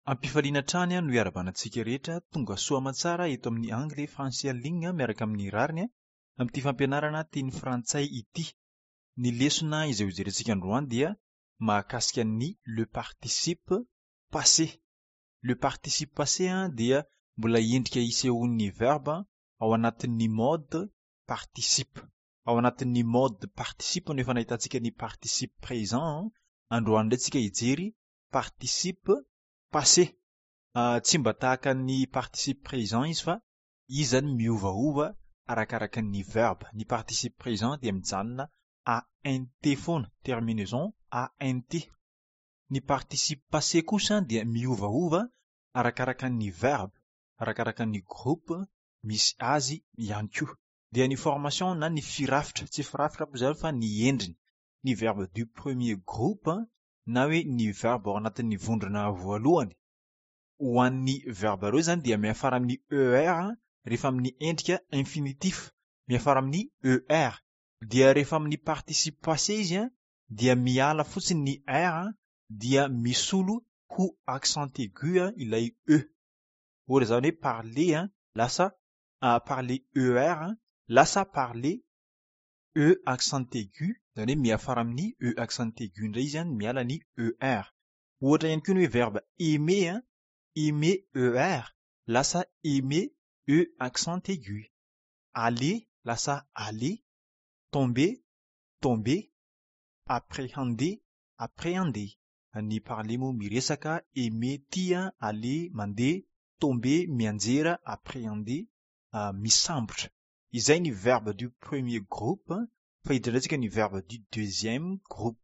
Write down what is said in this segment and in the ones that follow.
Am-pifaliana hatrany no iarahabana antsika rehetra tonga soa aman-tsara eto amin'ny Angle Français en ligne miaraka amin'ny rariny amin'ity fampianarana teny frantsay ity. Ny lesona izay hojerentsika androany dia mahakasika ny le participe passé. Le participe passé dia mbola endrika isehoan'ny verbe ao anatin'ny mode participe. Ao anatin'ny mode participe no efa nahitantsika ny participe présent. Androany indray tsika hijery participe passé. Tsy mba tahaka ny participe présent izy fa izy zany miovaova arakaraka ny verbe. Ny participe présent dia mijanona ANT foana, terminaison ANT. Ny participe passé kosa dia miovaova arakaraka ny verbe, arakaraka ny groupe misy azy ihany koa. Dia ny formation na ny firafitra, tsy firafitra moa zany fa ny endriny. Ny verbe du premier groupe na hoe ny verbe ao anatin'ny vondrona voalohany. Ho an'ny verbe ireo zany dia miafara amin'ny ER rehefa amin'ny endrika infinitif, miafara amin'ny ER. Dia rehefa amin'ny participe passé izy dia miala fotsiny ny R dia misolo ho accent aigu ilay E. Ohatra zany hoe parler lasa parler ER lasa parler E accent aigu, zany hoe miafara amin'ny E accent aigu indray izy miala ny ER. Ohatra ihany koa ny hoe verbe aimer, aimer ER lasa aimer E accent aigu. Aller lasa aller, tomber tombé, appréhender appréhender. Ny parler moa miresaka, aimer tia, aller mandeha, tomber mianjera, appréhender misambotra. Izay ny verbe du premier groupe fa hiditra indray tsika ny verbe du deuxième groupe.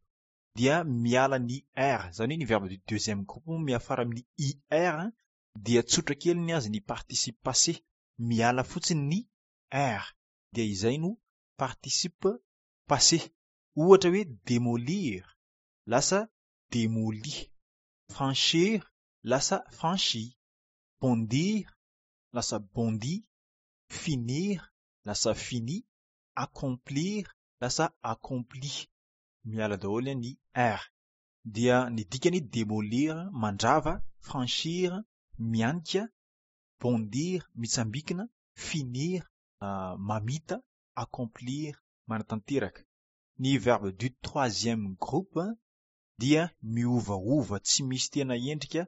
Dia miala ny R, zany hoe ny verbe du deuxième groupe miafara amin'ny IR dia tsotra kely ny azy ny participe passé, miala fotsiny ny R dia izay no participe passé. Ohatra hoe démolir lasa démoli, franchir lasa franchi, bondir lasa bondi, finir lasa fini, accomplir lasa accompli. Miala daholo ny R. Dia ny dikany démolir mandrava, franchir mianika, bondir mitsambikina, finir mamita, accomplir manatanteraka. Ny verbe du troisième groupe dia miovaova, tsy misy tena endrika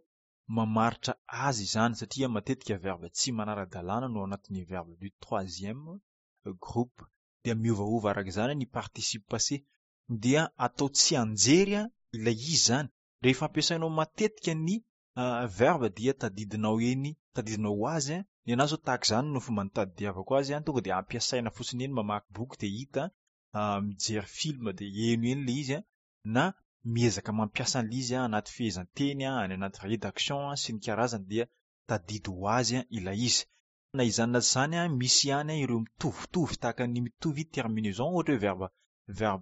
mamaritra azy izany satria matetika verbe tsy manara-dalàna no ao anatin'ny verbe du troisième groupe. Dia miovaova araka izany ny participe passé. Dia atao tsy anjery ilay izy zany. Rehefa ampiasainao matetika ny verbe dia tadidinao eny, tadidinao ho azy. Ny anahy zao tahaka izany no fomba nitadidiavako azy, tonga dia ampiasaina fotsiny eny, mamaky boky dia hita, mijery film dia heno eny ilay izy, na miezaka mampiasa an'ilay izy anaty fehezanteny, any anaty rédaction sy ny karazany dia tadidy ho azy ilay izy. Na izany na tsy izany misy ihany ireo mitovitovy tahaka ny mitovy terminaison, ohatra hoe verbe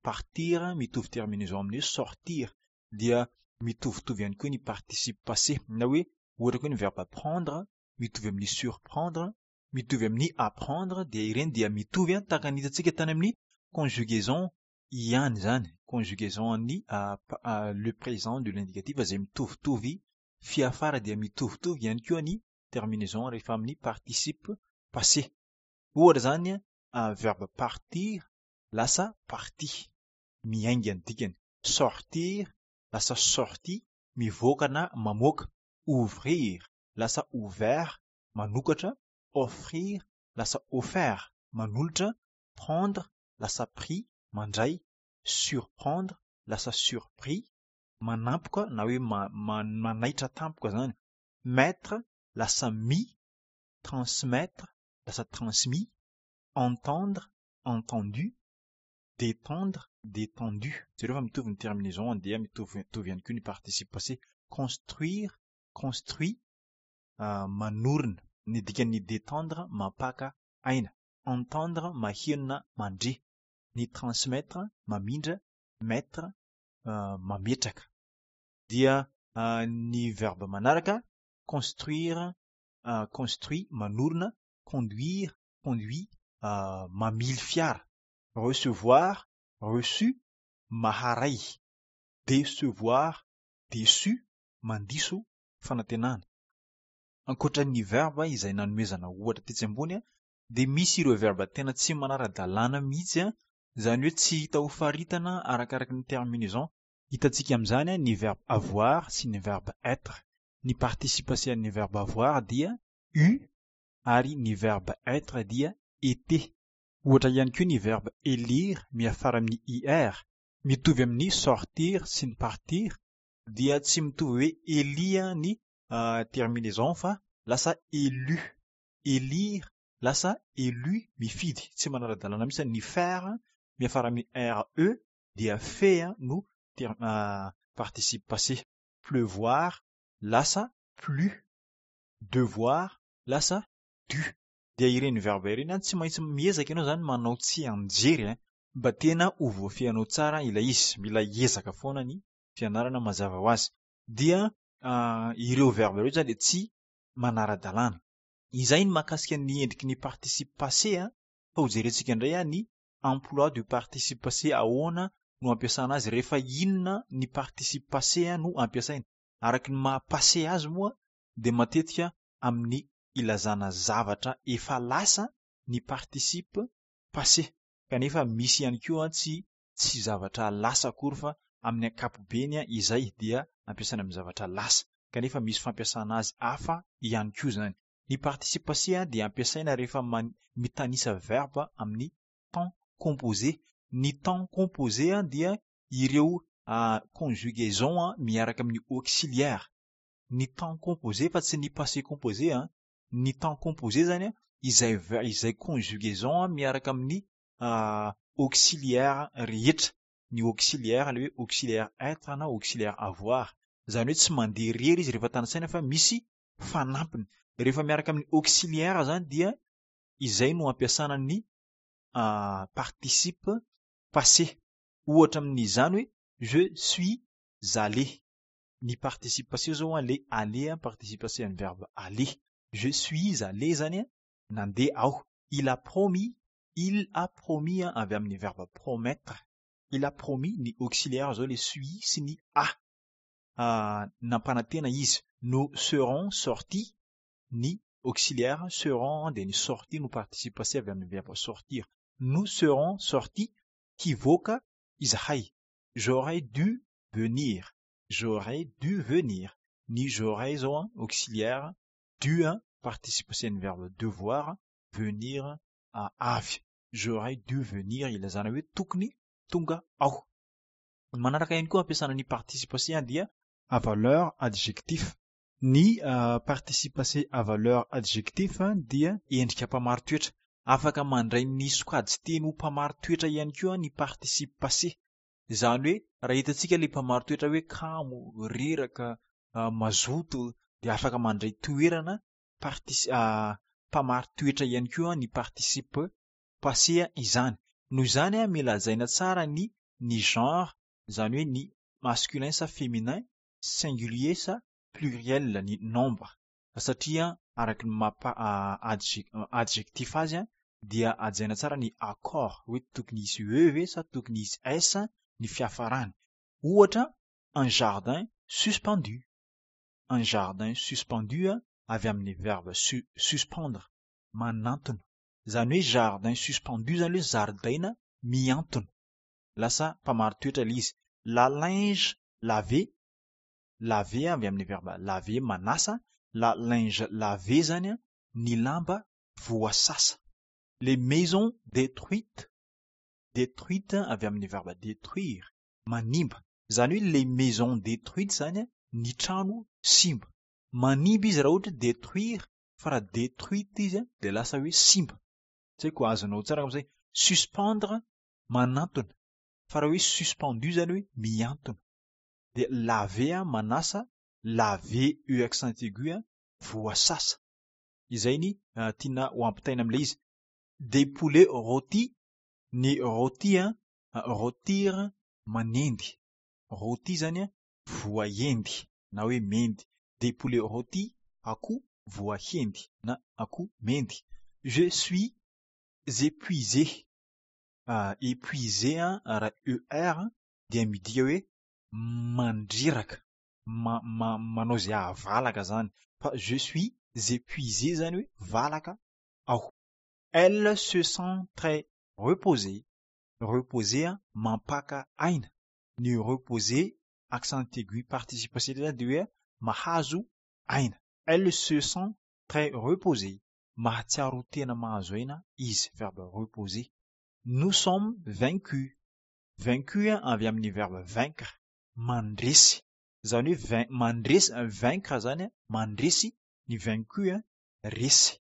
partir mitovy terminaison amin'ny hoe sortir dia mitovitovy ihany koa ny participe passé, na hoe ohatra koa ny verbe prendre mitovy amin'ny surprendre, mitovy amin'ny apprendre dia ireny dia mitovy tahaka ny hitantsika tany amin'ny conjugaison ihany zany, conjugaison an'ny le présent de l'indicatif izay mitovitovy fiafara dia mitovitovy ihany koa ny terminaison rehefa amin'ny participe passé. Ohatra zany verbe partir lasa parti, miainga ny dikany, sortir lasa sorti, mivoaka na mamoaka, ouvrir lasa ouvert, manokatra, offrir lasa offert, manolotra, prendre lasa pris, mandray, surprendre lasa surpris, manampoka na hoe manaitra tampoka zany, mettre lasa mis, transmettre lasa transmis, entendre entendu, détendre détendu. Jereo fa mitovy ny terminaison dia mitovitovy ihany koa ny participe passé. Construire construit, manorina. Ny dikan'ny détendre mampaka aina, entendre maheno na mandre, ny transmettre mamindra, mettre mametraka. Dia ny verbe manaraka construire construit manorina, conduire conduit mamily fiara, recevoir reçu maharay, décevoir déçu mandiso. fanantenana. Ankoatra ny verbe izay nanomezana ohatra tetsy ambony dia misy ireo verbe tena tsy manara-dalàna mihitsy, izany hoe tsy hita ho faritana arakaraky ny terminaison. Hitantsika amin'izany ny verbe avoir sy ny verbe être. Ny participe passé an'ny verbe avoir dia eu ary ny verbe être dia été. Ohatra ihany koa ny verbe élire miafara amin'ny ir, mitovy amin'ny sortir sy ny partir dia tsy mitovy hoe éli ny terminaison fa lasa élu. Élire lasa élu mifidy, tsy manara-dalàna mihitsy. Ny faire miafara amin'ny re dia fait no participe passé. Pleuvoir lasa plu, devoir lasa dû. Dia ireny verbe ireny tsy maintsy miezaka ianao zany manao tsianjery mba tena ho voafehinao tsara ilay izy. Mila ezaka foana ny fianarana mazava ho azy. Dia ireo verbe ireo zany dia tsy manara-dalàna. Izay ny mahakasika ny endriky ny participe passé fa ho jerentsika indray ny emploi du participe passé, ahoana no ampiasana azy, rehefa inona ny participe passé no ampiasaina. Araky ny maha passé azy moa dia matetika amin'ny ilazana zavatra efa lasa ny participe passé, kanefa misy ihany koa tsy zavatra lasa akory fa amin'ny ankapobeny izay dia ampiasaina amin'ny zavatra lasa, kanefa misy fampiasana azy hafa ihany koa zany. Ny participe passé dia ampiasaina rehefa mitanisa verbe amin'ny temps composé. Ny temps composé dia ireo conjugaison miaraka amin'ny auxiliaire. Ny temps composé fa tsy ny passé composé. Ny temps composé zany izay conjugaison miaraka amin'ny auxiliaire rehetra. Ny auxiliaire le hoe auxiliaire être na auxiliaire avoir. Izany hoe tsy mandeha irery izy rehefa tanisaina fa misy fanampiny. Rehefa miaraka amin'ny auxiliaire zany dia izay no ampiasana ny participe passé. Ohatra amin'izany hoe je suis allé. Ny participe passé zao le aller, participe passé amin'ny verbe aller. Je suis allé zany nandeha aho. Il a promis, il a promis avy amin'ny verbe promettre. Il a promis, ny auxiliaire zao le suis sy ny a. Nampanantena izy. Nous serons sortis, ny auxiliaire serons dia ny sortis no participe passé avy amin'ny verbe sortir. Nous serons sortis, hivoaka izahay. J'aurais dû venir. J'aurais dû venir. Ny j'aurais zao auxiliaire, dû participe passé ny verbe devoir, venir avy. J'aurais dû venir ilazana hoe tokony tonga aho. Manaraka ihany koa ampiasana ny participe passé dia à valeur adjectif. Ny participe passé à valeur adjectif dia endrika mpamaritoetra. Afaka mandray ny sokajy teny ho mpamaritoetra ihany koa ny participe passé. Izany hoe raha hitantsika ilay mpamaritoetra hoe kamo, reraka, mazoto dia afaka mandray toerana mpamaritoetra ihany koa ny participe passé izany. Noho izany mila hajaina tsara ny genre, izany hoe ny masculin sa féminin, singulier sa pluriel ny nombre. Satria araky ny maha adjectif azy dia hajaina tsara ny accord hoe tokony hisy e ve sa tokony hisy s ny fiafarany. Ohatra un jardin suspendu. Un jardin suspendu avy amin'ny verbe suspendre, manantona. Izany hoe jardin suspendu zany hoe zaridaina mihantona. Lasa mpamaritoetra ilay izy. La linge lavé, lavé avy amin'ny verbe laver manasa. La linge lavé zany ny lamba voasasa. Les maisons détruites, détruites avy amin'ny verbe détruire, manimba. Izany hoe les maisons détruites zany ny trano simba. Manimba izy raha ohatra détruire, fa raha détruite izy dia lasa hoe simba. Tsy haiko azonao tsara amin'izay. Suspendre manantona, fa raha hoe suspendu zany hoe mihantona. Dia laver manasa, laver e accent aigu voasasa. Izay ny tiana ho ampitaina amin'ilay izy. Des poulets rôtis, ny rôti rôtir manendy. Rôti zany voaendy na hoe mendy. Des poulets rôtis akoho voahendy na akoho mendy. Je suis épuisé. Épuisé raha er dia midika hoe mandreraka. ma- ma- manao izay hahavalaka izany. Fa je suis épuisé izany hoe valaka aho. Elle se sent très reposée. Reposée mampaka aina. Ny reposer accent aigu participe passé zany dia hoe mahazo aina. Elle se sent très reposée. Mahatsiaro tena mahazo aina izy. Verbe reposer. Nous sommes vaincus. Vaincu avy amin'ny verbe vaincre, mandresy. Izany hoe vain- mandresy, vaincre zany mandresy, ny vaincu resy.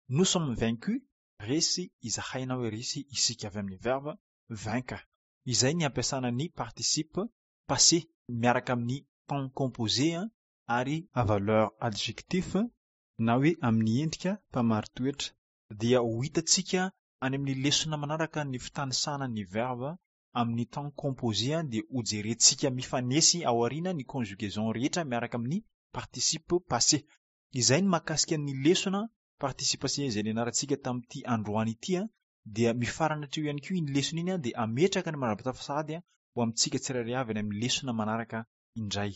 Nous sommes vaincus, resy izahay na hoe resy isika avy amin'ny verbe vaincre. Izay ny ampiasana ny participe passé miaraka amin'ny temps composé ary à valeur adjectif na hoe amin'ny endrika mpamaritoetra. Dia ho hitantsika any amin'ny lesona manaraka ny fitanisana ny verbe amin'ny temps composé dia hojerentsika mifanesy ao aoriana ny conjugaison rehetra miaraka amin'ny participe passé. Izay ny mahakasika ny lesona participe passé izay nianarantsika tamin'ity androany ity dia mifarana hatreo ihany koa iny lesona iny dia ametraka ny manara-pitafa sahady ho amintsika tsirairay avy any amin'ny lesona manaraka indray.